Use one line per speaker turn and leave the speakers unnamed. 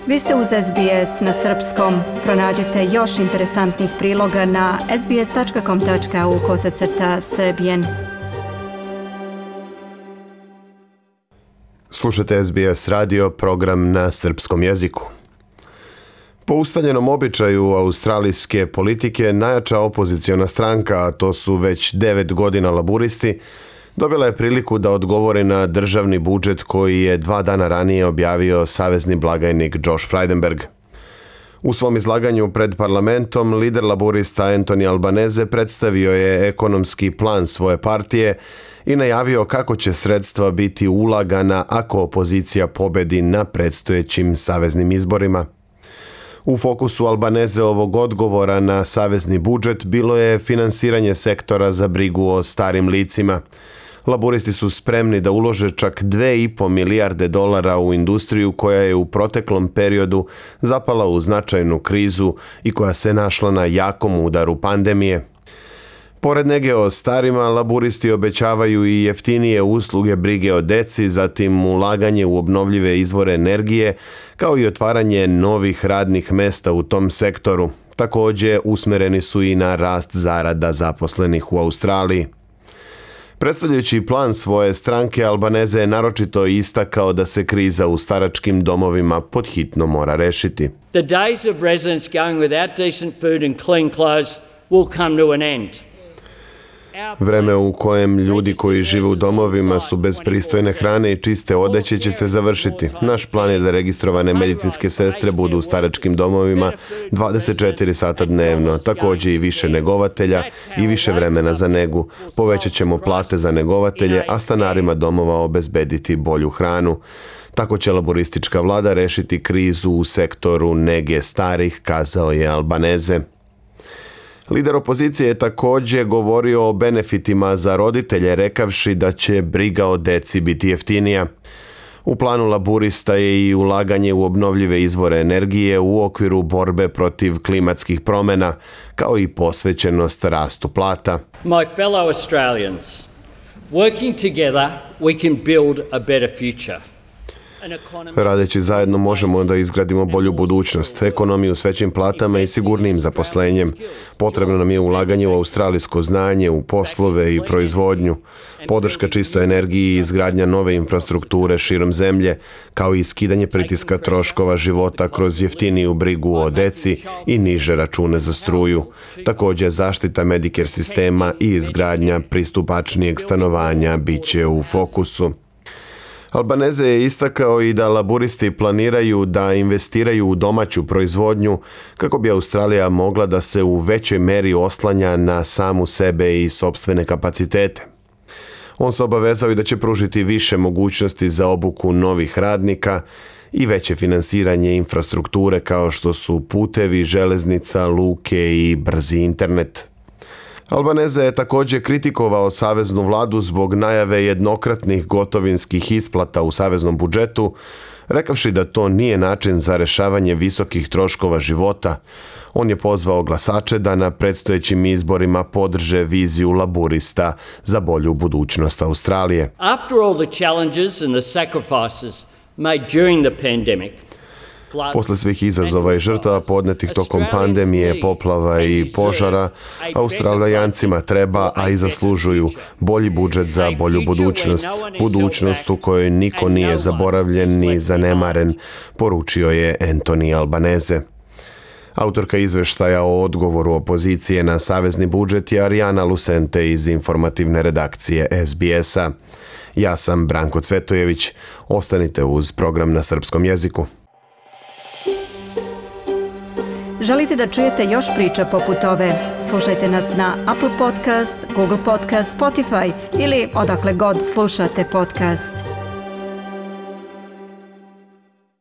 Vi ste uz SBS na srpskom. Pronađite još interesantnih priloga na sbs.com.au/srbijen.
Slušajte SBS radio, program na srpskom jeziku. Po ustaljenom običaju australijske politike, najjača opoziciona stranka, a to su već 9 godina laburisti, dobila je priliku da odgovori na državni budžet koji je 2 dana ranije objavio savezni blagajnik Josh Frydenberg. U svom izlaganju pred parlamentom, lider laburista Anthony Albanese predstavio je ekonomski plan svoje partije i najavio kako će sredstva biti ulagana ako opozicija pobedi na predstojećim saveznim izborima. U fokusu Albaneseovog odgovora na savezni budžet bilo je finansiranje sektora za brigu o starim licima. Laburisti su spremni da ulože čak $2,5 milijarde u industriju koja je u proteklom periodu zapala u značajnu krizu i koja se našla na jakom udaru pandemije. Pored nege o starima, laburisti obećavaju i jeftinije usluge brige o deci, zatim ulaganje u obnovljive izvore energije, kao i otvaranje novih radnih mesta u tom sektoru. Također usmereni su i na rast zarada zaposlenih u Australiji. Predstavljajući plan svoje stranke, Albanese je naročito istakao da se kriza u staračkim domovima podhitno mora rešiti.
The days of residents going without decent food and clean clothes will come to an end.
Vreme u kojem ljudi koji žive u domovima su bez pristojne hrane i čiste odeće će se završiti. Naš plan je da registrovane medicinske sestre budu u staračkim domovima 24 sata dnevno, također i više negovatelja i više vremena za negu. Povećat ćemo plate za negovatelje, a stanarima domova obezbediti bolju hranu. Tako će laboristička vlada rešiti krizu u sektoru nege starih, kazao je Albanese. Lider opozicije je također govorio o benefitima za roditelje, rekavši da će briga o deci biti jeftinija. U planu laburista je i ulaganje u obnovljive izvore energije u okviru borbe protiv klimatskih promjena, kao i posvećenost rastu plata.
My fellow Australians, working together we can build a better future.
Radeći zajedno možemo da izgradimo bolju budućnost, ekonomiju s većim platama i sigurnijim zaposlenjem. Potrebno nam je ulaganje u australijsko znanje, u poslove i proizvodnju, podrška čistoj energiji i izgradnja nove infrastrukture širom zemlje, kao i skidanje pritiska troškova života kroz jeftiniju brigu o deci i niže račune za struju. Također zaštita Medicare sistema i izgradnja pristupačnijeg stanovanja bit će u fokusu. Albanese je istakao i da laburisti planiraju da investiraju u domaću proizvodnju kako bi Australija mogla da se u većoj meri oslanja na samu sebe i sopstvene kapacitete. On se obavezao i da će pružiti više mogućnosti za obuku novih radnika i veće finansiranje infrastrukture kao što su putevi, železnica, luke i brzi internet. Albanese je također kritikovao saveznu vladu zbog najave jednokratnih gotovinskih isplata u saveznom budžetu, rekavši da to nije način za rešavanje visokih troškova života. On je pozvao glasače da na predstojećim izborima podrže viziju laburista za bolju budućnost Australije.
After all the challenges and the sacrifices made during the pandemic,
posle svih izazova i žrtava podnetih tokom pandemije, poplava i požara, Australijancima treba, a i zaslužuju, bolji budžet za bolju budućnost. Budućnost u kojoj niko nije zaboravljen ni zanemaren, poručio je Anthony Albanese. Autorka izveštaja o odgovoru opozicije na savezni budžet je Arijana Lucente iz informativne redakcije SBS-a. Ja sam Branko Cvetojević. Ostanite uz program na srpskom jeziku.
Želite da čujete još priča poput ove? Slušajte nas na Apple Podcast, Google Podcast, Spotify ili odakle god slušate podcast.